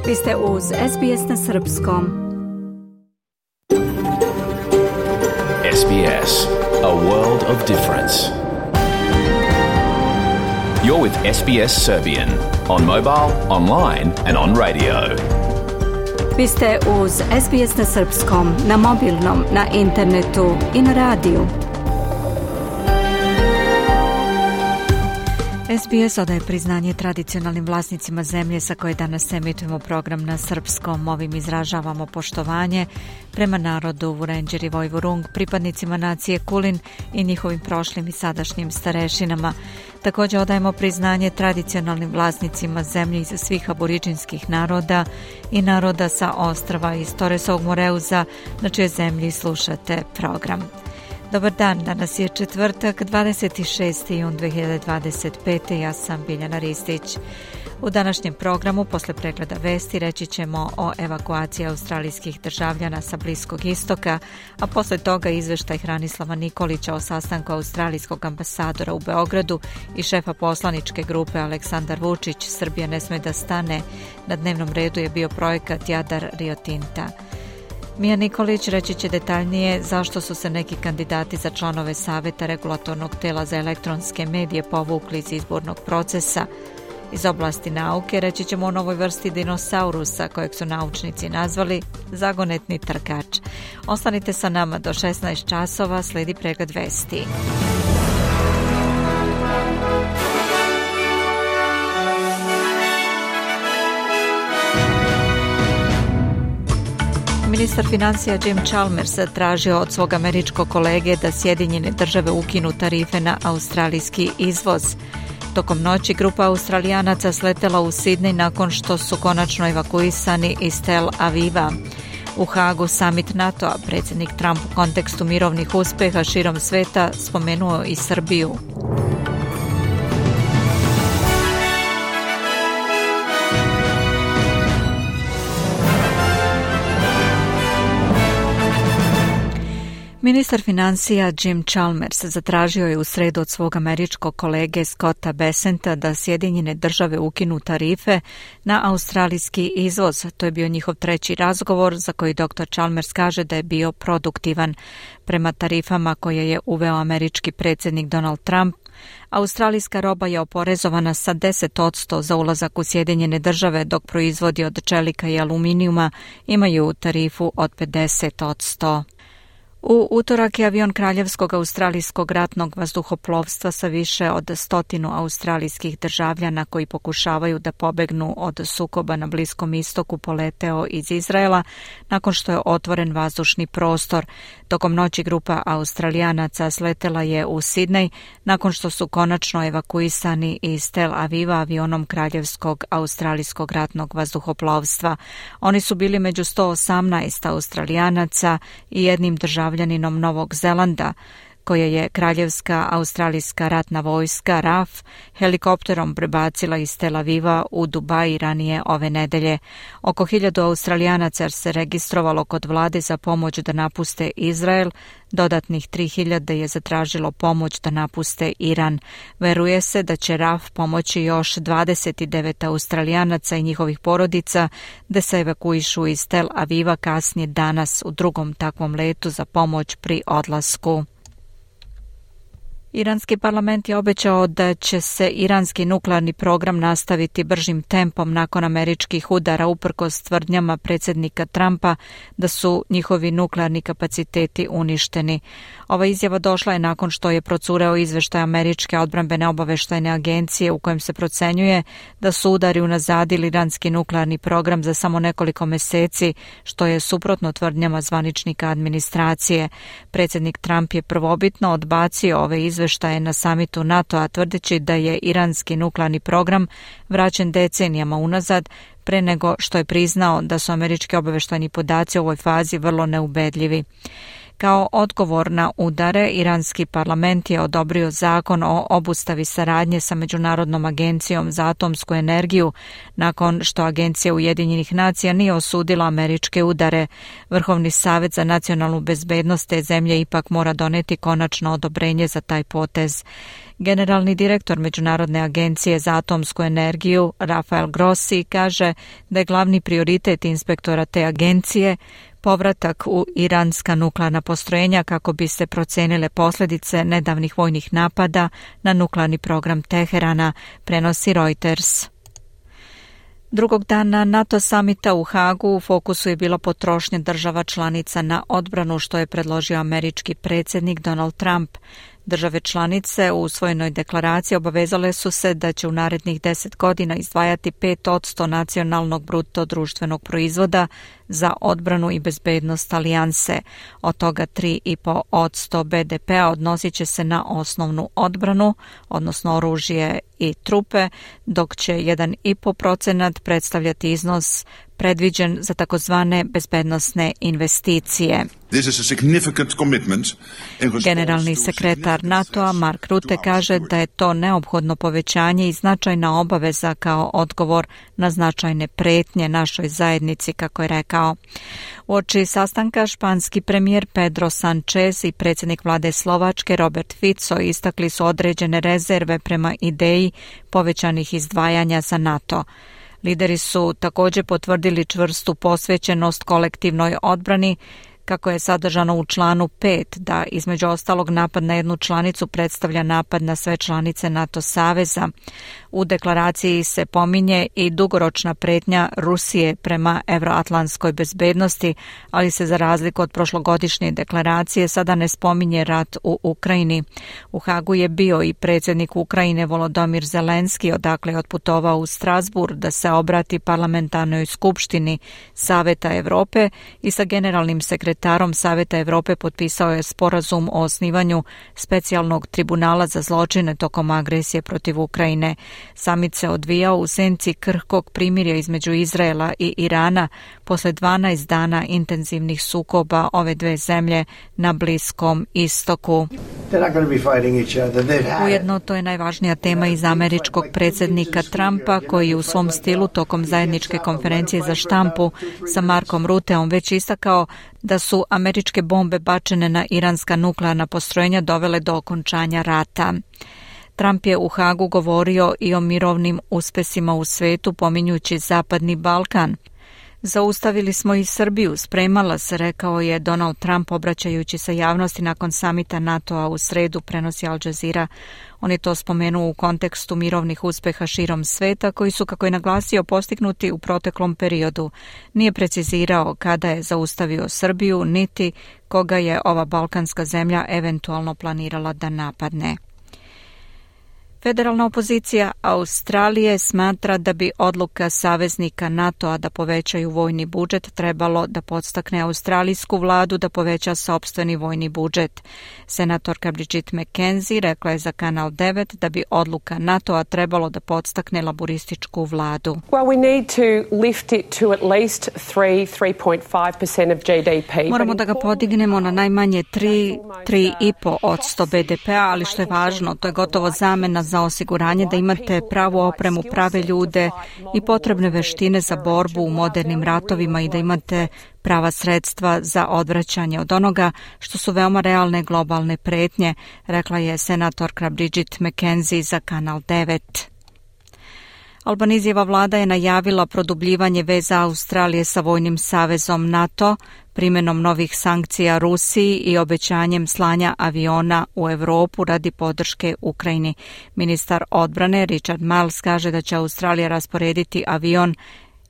Vi ste uz SBS na srpskom. SBS, a world of difference. You're with SBS Serbian on mobile, online and on radio. Vi ste uz SBS na srpskom, na mobilnom, na internetu i na radiju. SBS odaje priznanje tradicionalnim vlasnicima zemlje sa koje danas emitujemo program na srpskom. Ovim izražavamo poštovanje prema narodu Vurenđer i Vojvorung, pripadnicima nacije Kulin i njihovim prošlim i sadašnjim starešinama. Također odajemo priznanje tradicionalnim vlasnicima zemlje iz svih aboriđinskih naroda i naroda sa ostrva iz Torresovog Moreuza, na čijoj zemlji slušate program. Dobar dan, danas je četvrtak, 26. jun 2025. Ja sam Biljana Ristić. U današnjem programu, posle pregleda vesti, reći ćemo o evakuaciji australijskih državljana sa Bliskog istoka, a posle toga izveštaj Hranislava Nikolića o sastanku australijskog ambasadora u Beogradu i šefa poslaničke grupe Aleksandar Vučić, Srbija ne sme da stane. Na dnevnom redu je bio projekat Jadar Rio Tinta. Mija Nikolić reći će detaljnije zašto su se neki kandidati za članove Saveta regulatornog tela za elektronske medije povukli iz izbornog procesa. Iz oblasti nauke reći ćemo o novoj vrsti dinosaurusa kojeg su naučnici nazvali zagonetni trkač. Ostanite sa nama do 16 časova, slijedi pregled vesti. Ministar financija Jim Chalmers tražio od svog američkog kolege da Sjedinjene države ukinu tarife na australijski izvoz. Tokom noći grupa Australijanaca sletela u Sidney nakon što su konačno evakuisani iz Tel Aviva. U Hagu summit NATO-a predsjednik Trump u kontekstu mirovnih uspjeha širom sveta spomenuo i Srbiju. Ministar financija Jim Chalmers zatražio je u sredu od svog američkog kolege Scotta Bessenta da Sjedinjene države ukinu tarife na australijski izvoz. To je bio njihov treći razgovor za koji dr. Chalmers kaže da je bio produktivan. Prema tarifama koje je uveo američki predsjednik Donald Trump, australijska roba je oporezovana sa 10% za ulazak u Sjedinjene države, dok proizvodi od čelika i aluminijuma imaju tarifu od 50%. U utorak je avion Kraljevskog australijskog ratnog vazduhoplovstva sa više od 100 australijskih državljana koji pokušavaju da pobegnu od sukoba na Bliskom istoku poleteo iz Izraela nakon što je otvoren vazdušni prostor. Tokom noći grupa Australijanaca sletela je u Sidney nakon što su konačno evakuisani iz Tel Aviva avionom Kraljevskog australijskog ratnog vazduhoplovstva. Oni su bili među 118 Australijanaca i jednim državljaninom Novog Zelanda, koje je Kraljevska australijska ratna vojska RAF helikopterom prebacila iz Tel Aviva u Dubai ranije ove nedelje. Oko 1000 Australijanaca se registrovalo kod vlade za pomoć da napuste Izrael, dodatnih 3000 je zatražilo pomoć da napuste Iran. Veruje se da će RAF pomoći još 29 Australijanaca i njihovih porodica da se evakuišu iz Tel Aviva kasnije danas u drugom takvom letu za pomoć pri odlasku. Iranski parlament je obećao da će se iranski nuklearni program nastaviti bržim tempom nakon američkih udara uprkos tvrdnjama predsjednika Trumpa da su njihovi nuklearni kapaciteti uništeni. Ova izjava došla je nakon što je procureo izveštaj američke odbrambene obaveštajne agencije u kojem se procenjuje da su udari unazadili iranski nuklearni program za samo nekoliko mjeseci, što je suprotno tvrdnjama zvaničnika administracije. Predsjednik Trump je prvobitno odbacio ove izveštaje na samitu NATO-a tvrdeći da je iranski nuklearni program vraćen decenijama unazad pre nego što je priznao da su američki obaveštajni podaci u ovoj fazi vrlo neubedljivi. Kao odgovor na udare, iranski parlament je odobrio zakon o obustavi saradnje sa Međunarodnom agencijom za atomsku energiju nakon što Agencija Ujedinjenih nacija nije osudila američke udare. Vrhovni savjet za nacionalnu bezbednost te zemlje ipak mora doneti konačno odobrenje za taj potez. Generalni direktor Međunarodne agencije za atomsku energiju, Rafael Grossi, kaže da je glavni prioritet inspektora te agencije povratak u iranska nuklearna postrojenja kako bi se procenile posljedice nedavnih vojnih napada na nuklearni program Teherana, prenosi Reuters. Drugog dana NATO samita u Hagu u fokusu je bila potrošnja država članica na odbranu, što je predložio američki predsjednik Donald Trump. Države članice u usvojenoj deklaraciji obavezale su se da će u narednih 10 godina izdvajati 5% nacionalnog bruto društvenog proizvoda za odbranu i bezbednost alijanse. Od toga 3,5% BDP-a odnosit će se na osnovnu odbranu, odnosno oružje i trupe, dok će 1,5% predstavljati iznos predviđen za takozvane bezbednosne investicije. Generalni sekretar NATO-a Mark Rutte kaže da je to neophodno povećanje i značajna obaveza kao odgovor na značajne pretnje našoj zajednici, kako je rekao. Uoči sastanka španski premijer Pedro Sanchez i predsjednik vlade Slovačke Robert Fico istakli su određene rezerve prema ideji povećanih izdvajanja za NATO. Lideri su također potvrdili čvrstu posvećenost kolektivnoj odbrani, kako je sadržano u članu 5, da između ostalog napad na jednu članicu predstavlja napad na sve članice NATO saveza. U deklaraciji se pominje i dugoročna pretnja Rusije prema euroatlantskoj bezbednosti, ali se za razliku od prošlogodišnje deklaracije sada ne spominje rat u Ukrajini. U Hagu je bio i predsjednik Ukrajine Volodymyr Zelenski, odakle je otputovao u Strasbourg da se obrati parlamentarnoj skupštini Saveta Europe i sa generalnim sekretarom Saveta Europe potpisao je sporazum o osnivanju specijalnog tribunala za zločine tokom agresije protiv Ukrajine. Samit se odvijao u senci krhkog primirja između Izraela i Irana posle 12 dana intenzivnih sukoba ove dve zemlje na Bliskom istoku. Ujedno to je najvažnija tema iz američkog predsjednika Trumpa, koji u svom stilu tokom zajedničke konferencije za štampu sa Markom Rutteom već istakao da su američke bombe bačene na iranska nuklearna postrojenja dovele do okončanja rata. Trump je u Hagu govorio i o mirovnim uspesima u svetu, pominjući Zapadni Balkan. Zaustavili smo i Srbiju, spremala se, rekao je Donald Trump obraćajući se javnosti nakon samita NATO-a u sredu, prenosi Al Jazeera. On je to spomenuo u kontekstu mirovnih uspeha širom sveta koji su, kako je naglasio, postignuti u proteklom periodu. Nije precizirao kada je zaustavio Srbiju, niti koga je ova balkanska zemlja eventualno planirala da napadne. Federalna opozicija Australije smatra da bi odluka saveznika NATO-a da povećaju vojni budžet trebalo da podstakne australijsku vladu da poveća sopstveni vojni budžet. Senatorka Bridget McKenzie rekla je za Kanal 9 da bi odluka NATO-a trebalo da podstakne laburističku vladu. Moramo da ga podignemo na najmanje 3,5% BDP-a, ali što je važno, to je gotovo zamena za osiguranje da imate pravu opremu, prave ljude i potrebne veštine za borbu u modernim ratovima i da imate prava sredstva za odvraćanje od onoga što su veoma realne globalne pretnje, rekla je senatorka Bridget McKenzie za Kanal 9. Albanizijeva vlada je najavila produbljivanje veza Australije sa vojnim savezom NATO, primjenom novih sankcija Rusiji i obećanjem slanja aviona u Europu radi podrške Ukrajini. Ministar odbrane Richard Marles kaže da će Australija rasporediti avion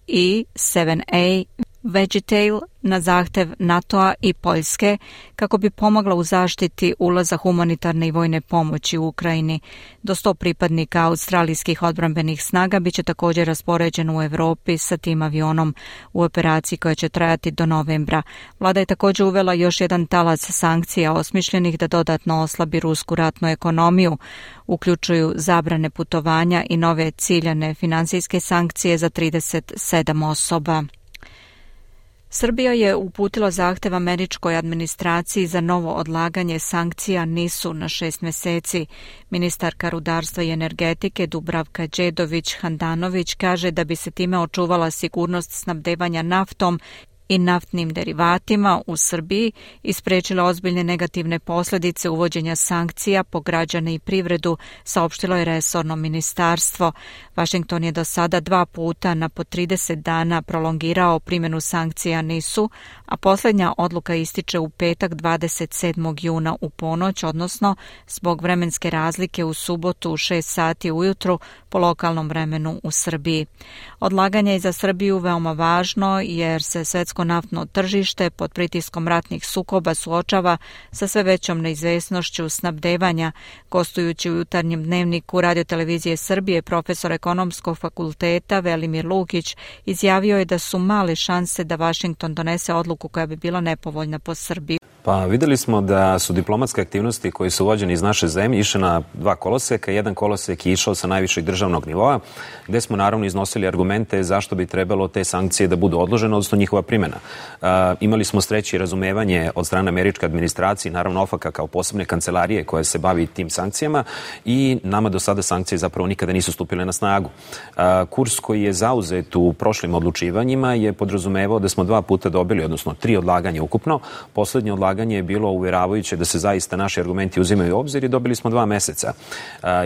E-7A Vegetail na zahtev NATO-a i Poljske kako bi pomogla u zaštiti ulaza humanitarne i vojne pomoći u Ukrajini. Do 100 pripadnika australijskih odbrambenih snaga biće također raspoređen u Europi sa tim avionom u operaciji koja će trajati do novembra. Vlada je također uvela još jedan talac sankcija osmišljenih da dodatno oslabi rusku ratnu ekonomiju. Uključuju zabrane putovanja i nove ciljane finansijske sankcije za 37 osoba. Srbija je uputila zahtev američkoj administraciji za novo odlaganje sankcija NIS-u na 6 meseci. Ministarka rudarstva i energetike Dubravka Đedović-Handanović kaže da bi se time očuvala sigurnost snabdevanja naftom i naftnim derivatima u Srbiji i sprečila ozbiljne negativne posljedice uvođenja sankcija po građane i privredu, saopštilo je resorno ministarstvo. Washington je do sada 2 puta na po 30 dana prolongirao primjenu sankcija NIS-u, a posljednja odluka ističe u petak 27. juna u ponoć, odnosno zbog vremenske razlike u subotu u 6 sati ujutru po lokalnom vremenu u Srbiji. Odlaganje je za Srbiju veoma važno jer se svetsko naftno tržište pod pritiskom ratnih sukoba suočava sa sve većom neizvesnošću snabdevanja. Gostujući u jutarnjem dnevniku Radiotelevizije Srbije, profesor ekonomskog fakulteta Velimir Lukić izjavio je da su male šanse da Washington donese odluku koja bi bila nepovoljna po Srbiju. Pa videli smo da su diplomatske aktivnosti koji su vođeni iz naše zemlje išle na 2 koloseka. Jedan kolosek je išao sa najvišeg državnog nivoa, gde smo naravno iznosili argumente zašto bi trebalo te sankcije da budu odložene, odnosno njihova primjena. Imali smo sreće i razumevanje od strane američke administracije, naravno OFAC-a kao posebne kancelarije koja se bavi tim sankcijama, i nama do sada sankcije zapravo nikada nisu stupile na snagu. Kurs koji je zauzet u prošlim odlučivanjima je podrazumevao da smo 2 puta dobili, odnosno 3 odlaganja ukupno. Poslednje odlaganje je bilo uveravajuće da se zaista naši argumenti uzimaju u obzir i dobili smo 2 meseca.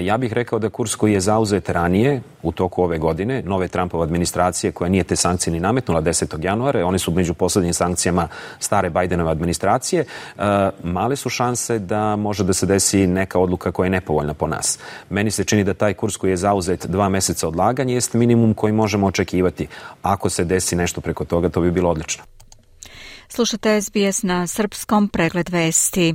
Ja bih rekao da kurs koji je zauzet ranije, u toku ove godine, nove Trumpove administracije koja nije te sankcije ni nametnula 10. januara, one su među poslednjim sankcijama stare Bidenove administracije, male su šanse da može da se desi neka odluka koja je nepovoljna po nas. Meni se čini da taj kurs koji je zauzet 2 meseca odlaganja jest minimum koji možemo očekivati. Ako se desi nešto preko toga, to bi bilo odlično. Slušate SBS na srpskom, pregled vesti.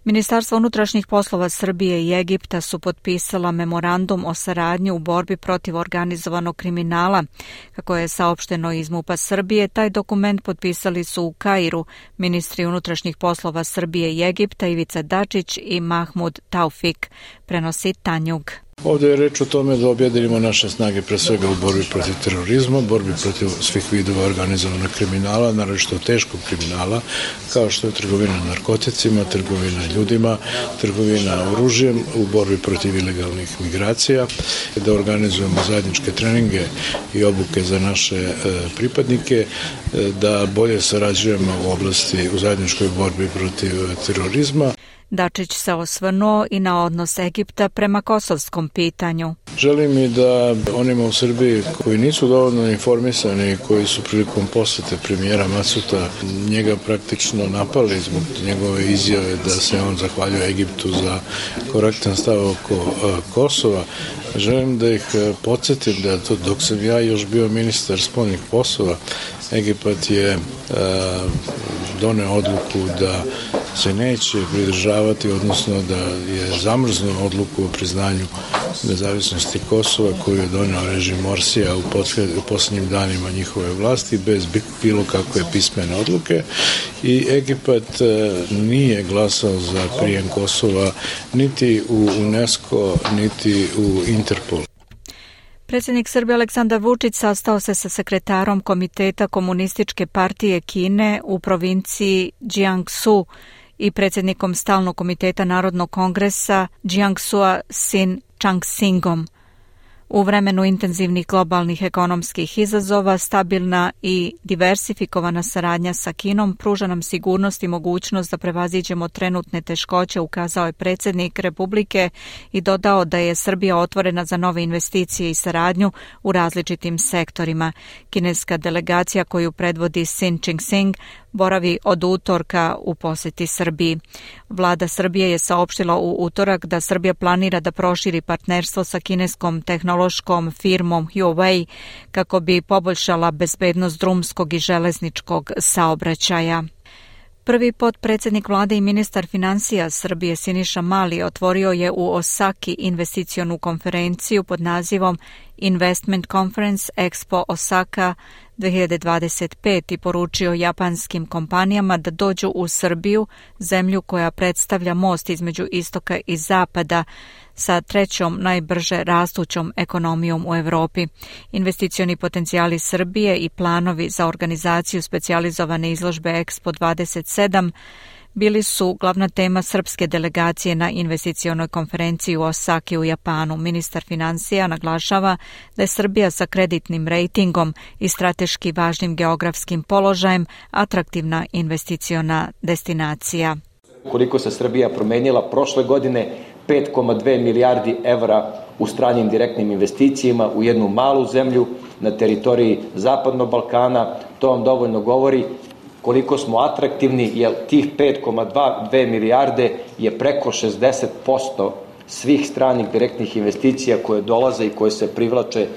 Ministarstvo unutrašnjih poslova Srbije i Egipta su potpisala memorandum o saradnji u borbi protiv organizovanog kriminala. Kako je saopšteno iz MUP-a Srbije, taj dokument potpisali su u Kairu ministri unutrašnjih poslova Srbije i Egipta Ivica Dačić i Mahmud Taufik, prenosi Tanjug. Ovdje je reč o tome da objedinimo naše snage pre svega u borbi protiv terorizma, borbi protiv svih vidova organizovanog kriminala, naročito teškog kriminala, kao što je trgovina narkoticima, trgovina ljudima, trgovina oružjem, u borbi protiv ilegalnih migracija, da organizujemo zajedničke treninge i obuke za naše pripadnike, da bolje sarađujemo u zajedničkoj borbi protiv terorizma. Dačić se osvrnuo i na odnos Egipta prema kosovskom pitanju. Želim i da onima u Srbiji koji nisu dovoljno informisani, koji su prilikom posete premijera Masuta njega praktično napali zbog njegove izjave da se on zahvaljuje Egiptu za korektan stav oko Kosova, želim da ih podsjetim da dok sam ja još bio ministar spoljnih poslova, Egipat je doneo odluku da se neće pridržavati, odnosno da je zamrznuo odluku o priznanju nezavisnosti Kosova koju je doneo režim Morsija u posljednjim danima njihove vlasti bez bilo kakve pismene odluke, i Egipat nije glasao za prijem Kosova niti u UNESCO niti u Interpol. Predsjednik Srbije Aleksandar Vučić sastao se sa sekretarom Komiteta Komunističke partije Kine u provinciji Jiangsu i predsjednikom Stalnog komiteta Narodnog kongresa Jiangsua Sin Changsingom. U vremenu intenzivnih globalnih ekonomskih izazova, stabilna i diversifikovana saradnja sa Kinom pruža nam sigurnost i mogućnost da prevaziđemo trenutne teškoće, ukazao je predsjednik Republike i dodao da je Srbija otvorena za nove investicije i saradnju u različitim sektorima. Kineska delegacija koju predvodi Sin Changsing boravi od utorka u posjeti Srbiji. Vlada Srbije je saopštila u utorak da Srbija planira da proširi partnerstvo sa kineskom tehnološkom firmom Huawei kako bi poboljšala bezbednost drumskog i železničkog saobraćaja. Prvi potpredsjednik vlade i ministar financija Srbije Siniša Mali otvorio je u Osaki investicionu konferenciju pod nazivom Investment Conference Expo Osaka 2025 i poručio japanskim kompanijama da dođu u Srbiju, zemlju koja predstavlja most između istoka i zapada. sa trećom najbrže rastućom ekonomijom u Evropi. Investicioni potencijali Srbije i planovi za organizaciju specijalizovane izložbe Expo 27 bili su glavna tema srpske delegacije na investicionoj konferenciji u Osaki u Japanu. Ministar finansija naglašava da je Srbija sa kreditnim rejtingom i strateški važnim geografskim položajem atraktivna investiciona destinacija. Koliko se Srbija promenila prošle godine, 5,2 milijardi evra u stranim direktnim investicijama u jednu malu zemlju na teritoriji Zapadnog Balkana, to vam dovoljno govori koliko smo atraktivni, jer tih 5,2 milijarde je preko 60% svih stranih direktnih investicija koje dolaze i koje se privlače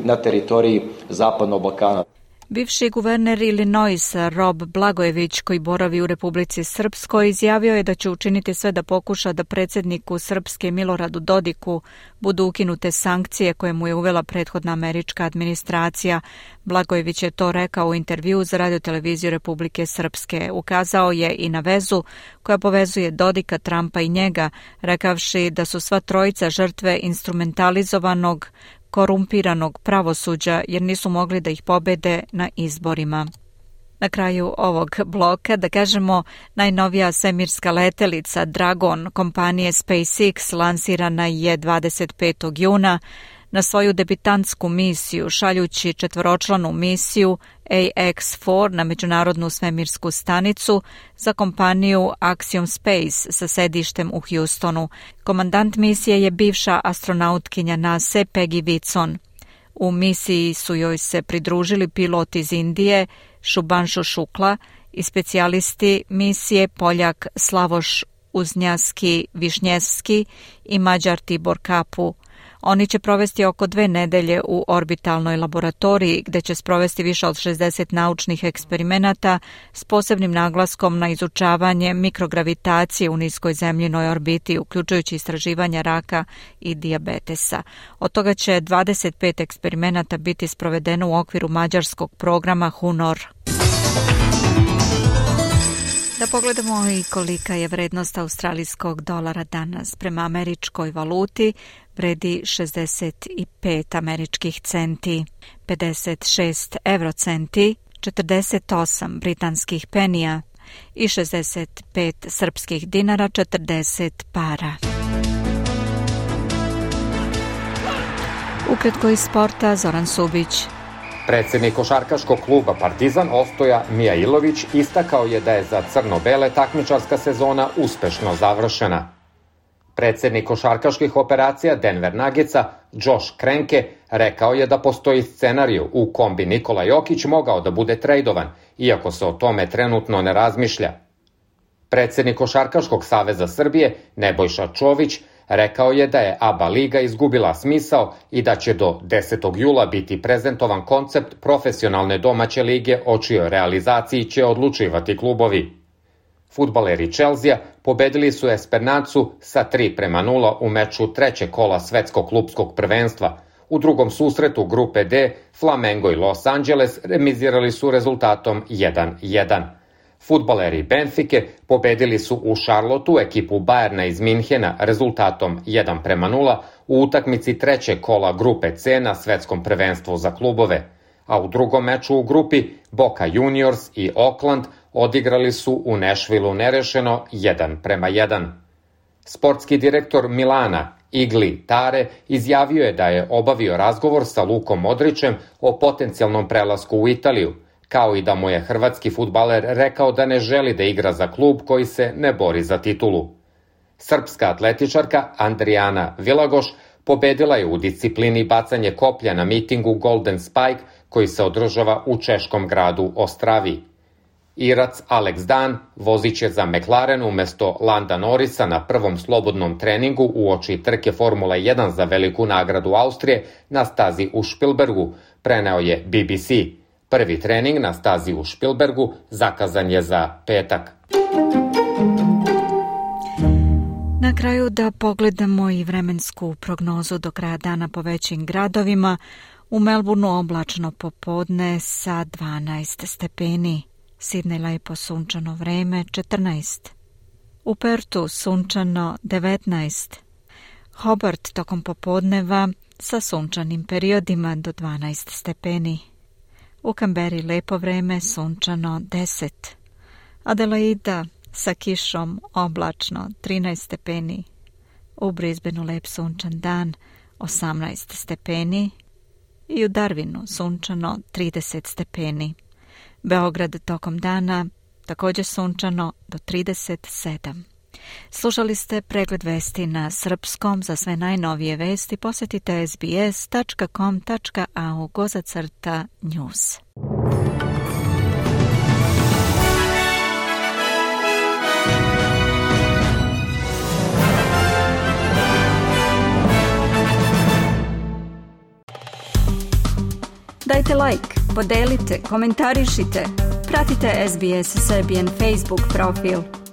na teritoriji Zapadnog Balkana. Bivši guverner Illinoisa Rob Blagojević, koji boravi u Republici Srpskoj, izjavio je da će učiniti sve da pokuša da predsjedniku Srpske Miloradu Dodiku budu ukinute sankcije koje mu je uvela prethodna američka administracija. Blagojević je to rekao u intervjuu za radioteleviziju Republike Srpske. Ukazao je i na vezu koja povezuje Dodika, Trumpa i njega, rekavši da su sva trojica žrtve instrumentalizovanog korumpiranog pravosuđa jer nisu mogli da ih pobede na izborima. Na kraju ovog bloka, da kažemo, najnovija svemirska letelica Dragon kompanije SpaceX lansirana je 25. juna na svoju debitantsku misiju, šaljući četvoročlanu misiju AX-4 na međunarodnu svemirsku stanicu za kompaniju Axiom Space sa sedištem u Houstonu. Komandant misije je bivša astronautkinja NASA Peggy Whitson. U misiji su joj se pridružili pilot iz Indije Šubanshu Šukla i specijalisti misije Poljak Slavoš Uznjaski Višnjevski i Mađar Tibor Kapu. Oni će provesti oko 2 nedelje u orbitalnoj laboratoriji gde će sprovesti više od 60 naučnih eksperimenata s posebnim naglaskom na izučavanje mikrogravitacije u niskoj zemljinoj orbiti, uključujući istraživanja raka i dijabetesa. Od toga će 25 eksperimenata biti sprovedeno u okviru mađarskog programa HUNOR. Da pogledamo i kolika je vrednost australijskog dolara danas. Prema američkoj valuti vredi 65 američkih centi, 56 eurocenti, 48 britanskih penija i 65 srpskih dinara, 40 para. Ukratko iz sporta, Zoran Subić. Predsjednik košarkaškog kluba Partizan Ostoja Mijailović istakao je da je za crno-bele takmičarska sezona uspešno završena. Predsjednik košarkaških operacija Denver Nuggetsa Josh Kroenke rekao je da postoji scenariju u kom bi Nikola Jokić mogao da bude trejdovan, iako se o tome trenutno ne razmišlja. Predsjednik Košarkaškog saveza Srbije Nebojša Čović rekao je da je ABA liga izgubila smisao i da će do 10. jula biti prezentovan koncept profesionalne domaće lige, o čijoj realizaciji će odlučivati klubovi. Fudbaleri Chelsea pobedili su Esperancu sa 3-0 u meču trećeg kola svetskog klupskog prvenstva. U drugom susretu grupe D Flamengo i Los Angeles remizirali su rezultatom 1-1. Fudbaleri Benfike pobedili su u Charlotteu ekipu Bayerna iz Minhena rezultatom 1-0 u utakmici trećeg kola grupe C na svetskom prvenstvu za klubove, a u drugom meču u grupi Boca Juniors i Oakland odigrali su u Nashvilleu nerešeno 1-1. Sportski direktor Milana Igli Tare izjavio je da je obavio razgovor sa Lukom Modrićem o potencijalnom prelasku u Italiju, kao i da mu je hrvatski fudbaler rekao da ne želi da igra za klub koji se ne bori za titulu. Srpska atletičarka Andrijana Vilagoš pobedila je u disciplini bacanje koplja na mitingu Golden Spike koji se održava u češkom gradu Ostravi. Irac Alex Dan vozit će za McLaren umesto Landa Norrisa na prvom slobodnom treningu uoči trke Formula 1 za veliku nagradu Austrije na stazi u Špilbergu, preneo je BBC. Prvi trening na stazi u Špilbergu zakazan je za petak. Na kraju da pogledamo i vremensku prognozu do kraja dana po većim gradovima. U Melbourneu oblačno popodne sa 12 stepeni. Sidney lepo sunčano vreme 14. U Pertu sunčano 19. Hobart tokom popodneva sa sunčanim periodima do 12 stepeni. U Kamberi lepo vreme, sunčano 10. Adelaida sa kišom, oblačno 13 stepeni. U Brisbaneu lep sunčan dan 18 stepeni. I u Darwinu sunčano 30 stepeni. Beograd tokom dana također sunčano do 37. Slušali ste pregled vesti na srpskom. Za sve najnovije vesti posjetite sbs.com.au/news. Dajte like, podelite, komentarišite. Pratite SBS Serbian Facebook profil.